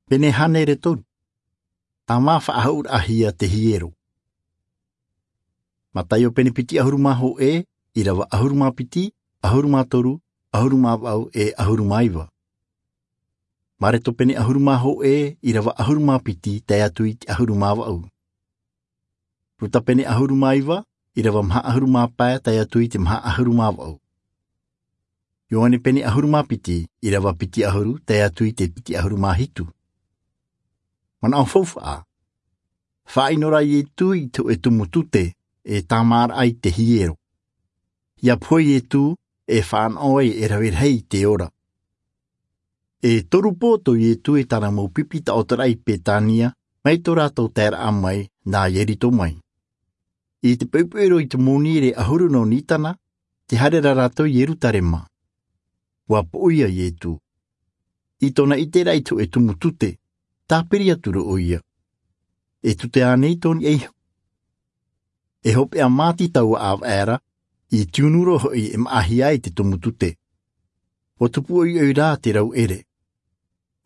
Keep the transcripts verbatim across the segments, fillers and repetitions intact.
Pene hānere toru. Tāmā faʻahouʻraʻahia te hiero. Mataio pene piti ʻahuru mā hōʻē, ʻīrava ʻahuru mā piti, ʻahuru mā toru, ʻahuru mā vaʻu e ʻahuru mā iva. Mareto pene ʻahuru mā hōʻē, ʻīrava ʻahuru mā piti tae atu i te ʻahuru mā vaʻu. Ruta pene ʻahuru mā iva, ʻīrava maha ʻahuru mā pae tae atu i te maha ʻahuru mā vaʻu. Ioane pene ʻahuru mā piti, ʻīrava piti ʻahuru tae atu i te piti ʻahuru mā hitu. Manaʻo faufaʻa. Faʻaʻino rā Ietu i te hōʻē tumu tute e tāmāraʻa i te hiero. ʻIa pohe Ietu e fānaʻo ai e rave rahi i te ora. E toru pō tō Ietu e tāna mau pipi taʻotoraʻa i Petania, mai tō rātou taeraʻa mai nā Ieriko mai. I te poʻipoʻi roa i te mōnirē ʻahuru nō Nitana, tē haere ra rātou i Ierutarema. ʻUa poʻo ia Ietu. I tōna ʻiteraʻa i te hōʻē tumu tute, tāpiri atu ra ʻoia. E tute ānei tō niʻa iho? E hopeʻa māti taua ʻāvaʻe ra, i tiunu roa hoʻi e maʻahia ai te tumu tute. ʻUa tupu ʻoiʻoi rā te rauʻere.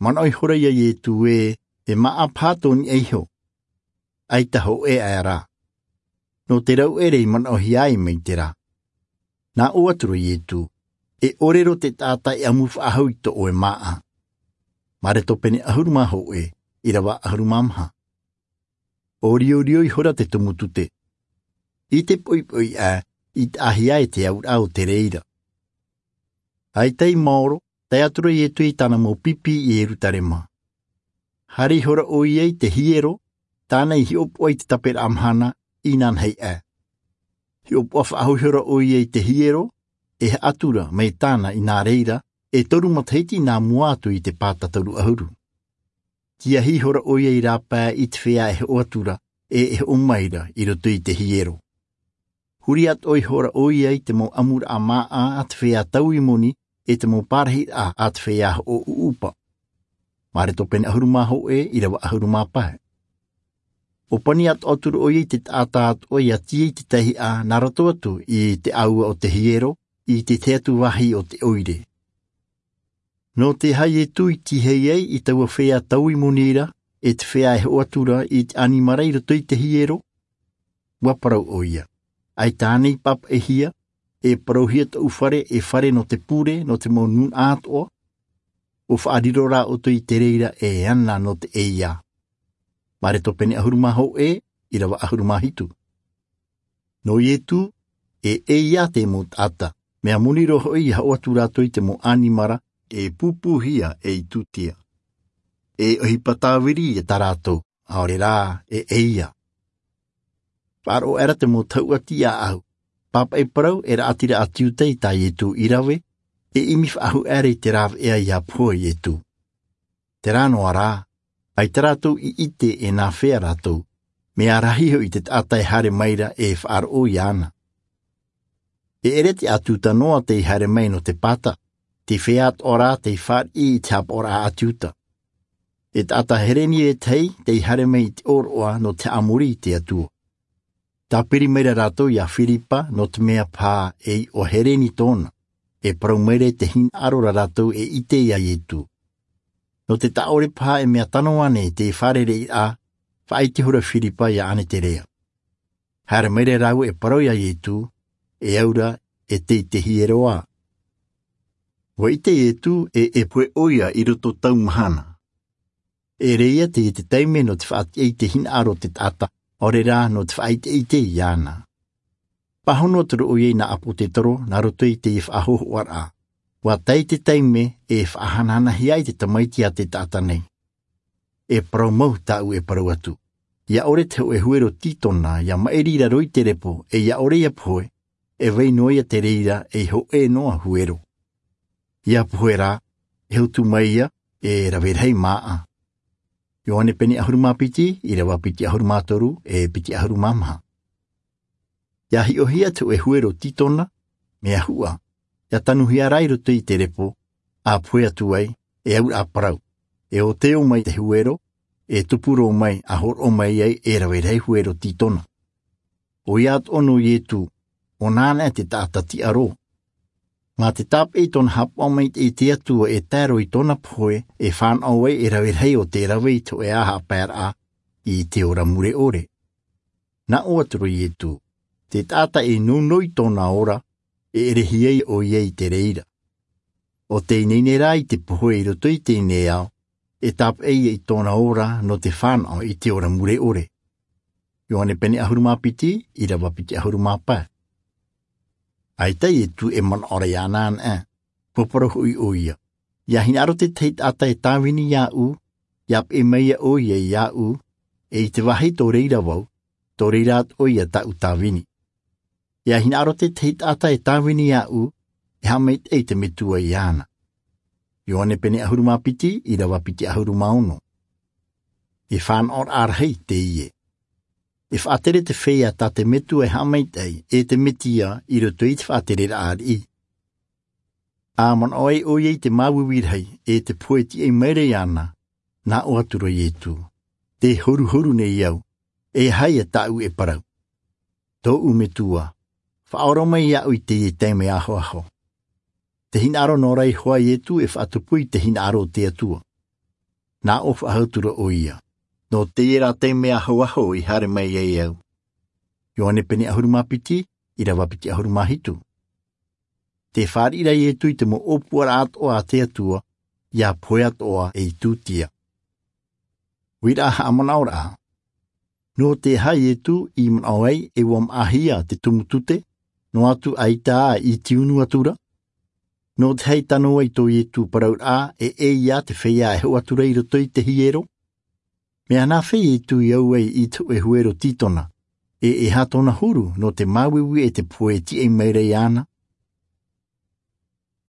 Manaʻo ihora ia Ietu ē, e māʻa paha tō niʻa iho. ʻAita hōʻē aʻe rā. Nō te rauʻere i manaʻohia ai mai terā. Nā ʻō atu ra Ietu, e ʻore roa te taʻata e ʻamu faʻahou i tō ʻoe māʻa. Mareto pene ʻahuru mā hōʻē, ʻīrava ʻahuru mā maha. ʻO riorio ihora te tumu tute. I te poʻipoʻi aʻe, i taʻahia e te auraʻa o te reira. ʻAita i maoro, tae atu ra Ietu i tāna mau pipi i Ierutarema. Haere ihora ʻoia i te hiero, tāna i hiʻopoʻa i te taperaʻa mahana, inanahi aʻe. Hiʻopoʻa faʻahou ihora ʻoia i te hiero, e haʻatura mai tāna i nā reira, e toru matahiti nā mua atu i te pāta toru ʻahuru. Tiahi ihora ʻoia i rāpae i te feiā e hoʻo atu ra, e, e hoʻo mai ra, i roto i te hiero. Huri atoʻa ihora ʻoia i te mau ʻamuraʻa māʻa a te feiā taui moni, e te mau parahiraʻa a te feiā hoʻo ʻuʻupa. Mareto pene ʻahuru mā hōʻē, ʻīrava ʻahuru mā pae. ʻO pani atoʻa atu ra ʻoia i te taʻata atoʻa ʻia tīaʻi i te taihaʻa nā roto atu i te ʻāua o te hiero, i te tahi atu vāhi o te ʻoire. Nō te aha Ietu i tīaʻi ai i taua feiā taui moni ra, e te feiā e hoʻo atu ra i te ʻanimara i roto i te hiero? ʻUa parau ʻoia. ʻAita ānei i pāpaʻihia, e parauhia tōʻu fare, e fare nō te pure, nō te mau nūnaʻa atoʻa? ʻO faʻariro rā ʻoutou i te reira e ana nō te ʻeiā. Mareto pene ʻahuru mā hōʻē, ʻīrava ʻahuru mā hitu. Nō Ietu, e ʻeiā te mau taʻata, mea moni roa hoʻi ʻia hoʻo atu rātou i te mau ʻanimara, e pūpūhia, e i tūtia. E ʻohipa tāviri ia tā rātou, ʻaore rā, e ʻeiā. Faʻaroʻo aʻera te mau tahuʻa tiʻaʻau. Pāpaʻi parau e raʻatira ʻāti Iuta i tā Ietu i rave, e ʻimi faʻahou aʻera i te rāveʻa ʻia pohe Ietu. Terā noa rā, ʻaita rātou i ʻite e nāfea rātou, mea rahi hoʻi te taʻata e haere mai ra e faʻaroʻo iāna. E ʻere te ʻāti Iuta noa tei haere mai nō te pāta, te feiā atoʻa rā tei fāriʻi i te haʻapaʻoraʻa ʻāti Iuta. E taʻata Hereni ētahi tei haere mai i te ʻōroʻa nō te haʻamori i te Atua. Tāpiri mai ra rātou iā Firipa nō te mea paha e iʻoa Hereni tōna, e parau mai ra i te hinaʻaro ra rātou e ʻite iā Ietu. Nō te taʻa ʻore paha e mea tano ānei te fārereiraʻa, faʻaʻite ihora Firipa iā Aneterea. Haere mai ra rāua e parau iā Ietu, e au ra, e tei te hiero ā. ʻUa ʻite Ietu e, e pohe ʻoia i roto tau mahana. E ʻere ïa teie te taime nō te faʻatiʻa i te hinaʻaro o te taʻata, ʻaore rā nō te faʻaʻiteʻite iāna. Pāhono atu ra ʻoia i nā ʻāpōsetolo, nā roto i teie faʻahōhoʻaraʻa. ʻUa tae te taime e faʻahanahanahia ai te Tamaiti iā te taʻata nei. E parau mau tāʻu e parau atu. ʻIa ʻore te hōʻē huero Tītona, ʻia maʻiri i raro i te repo, e ʻia ʻore ʻia pohe, e vai noa ïa te reira ei hōʻē noa huero. ʻIa pohe rā, e hotu mai ïa, e rave rahi māʻa. Ioane pene ʻahuru mā piti, ʻīrava piti ʻahuru mā toru, e piti ʻahuru mā maha. ʻIa hiʻohia te hōʻē huero Tītona, mea huʻa, ʻia tanuhia rā i roto i te repo, ʻa pohe atu ai, e auraʻa parau, e ʻōteo mai te huero, e tupu roa mai, ʻa hōroʻa mai ai, e rave rahi huero Tītona. ʻOia atoʻa nō Ietu, ʻo nāna te taʻata tiʻa roa. Mā te tāpeʻa i tōna haʻapaʻo maitaʻi i te Atua e tae roa i tōna pohe e fānaʻo ai e rave rahi o te rave i te hōʻē haʻapaeraʻa i te ora mure ʻore. Nā ʻō atu ra iesu, te taʻata e nounou i tōna ora, e ʻere hia ai ʻo ia i te reira. ʻO tei ineine rā i te pohe i roto i teie nei ao, e tāpeʻa ia i tōna ora nō te fānaʻo i te ora mure ʻore. Ioane pene ʻahuru mā piti, irava piti ʻahuru mā pae. ʻAita iesu e manaʻo ra iāna anaʻe. Parau hoʻi ʻo ia, ia hinaʻaro tētahi taʻata e tāvini iāʻu, ia peʻe mai ia ʻo ia iāʻu, e i te vāhi tō reira vau, tō reira atoʻa ia tāʻu tāvini. Ia hinaʻaro tētahi taʻata e tāvini iāʻu, e haʻamaitaʻi te metua iāna. Ioane pene ʻahuru mā piti, irava piti ʻahuru mā ono. E fānaʻoraʻa rahi teie. E faʻatere te feiā tā te metua e haʻamaitaʻi e te mesia i roto i te faʻatereraʻa ariʻi. A manaʻo ai ʻo ia i te māuiui rahi e te pohe tiʻai mai ra iāna, nā ʻō atu ra iesu, te horuhoru nei au, e aha ia tāʻu e parau? Tōʻu metua, faʻaora mai iāʻu i teie taime ahoaho. Te hinaʻaro nō rā iho ā iesu e faʻatupu i te hinaʻaro o te Atua. Nā ʻō faʻahou atu ra ʻo ia, nō teie rā taime ahoaho i haere mai ai au. Ioane pene ʻahuru mā piti, irava piti ʻahuru mā hitu. Te fāriʻi ra iesu i te mau ʻōpuaraʻa atoʻa a te Atua, ia pohe atoʻa ei tūtia. Uiraʻa haʻamanaʻoraʻa. Nō te aha iesu i manaʻo ai e ua maʻahia te tumu tute, noa atu ʻaita ā i tiunu atu ra? Nō te aha i tano ai tō iesu parauraʻa e ʻē ia te feiā e hoʻo atu ra i roto i te hiero? Mea nāfea iesu i au ai i te hōʻē huero tītona, e e aha tōna huru nō te māuiui e te pohe tiʻai mai ra iāna?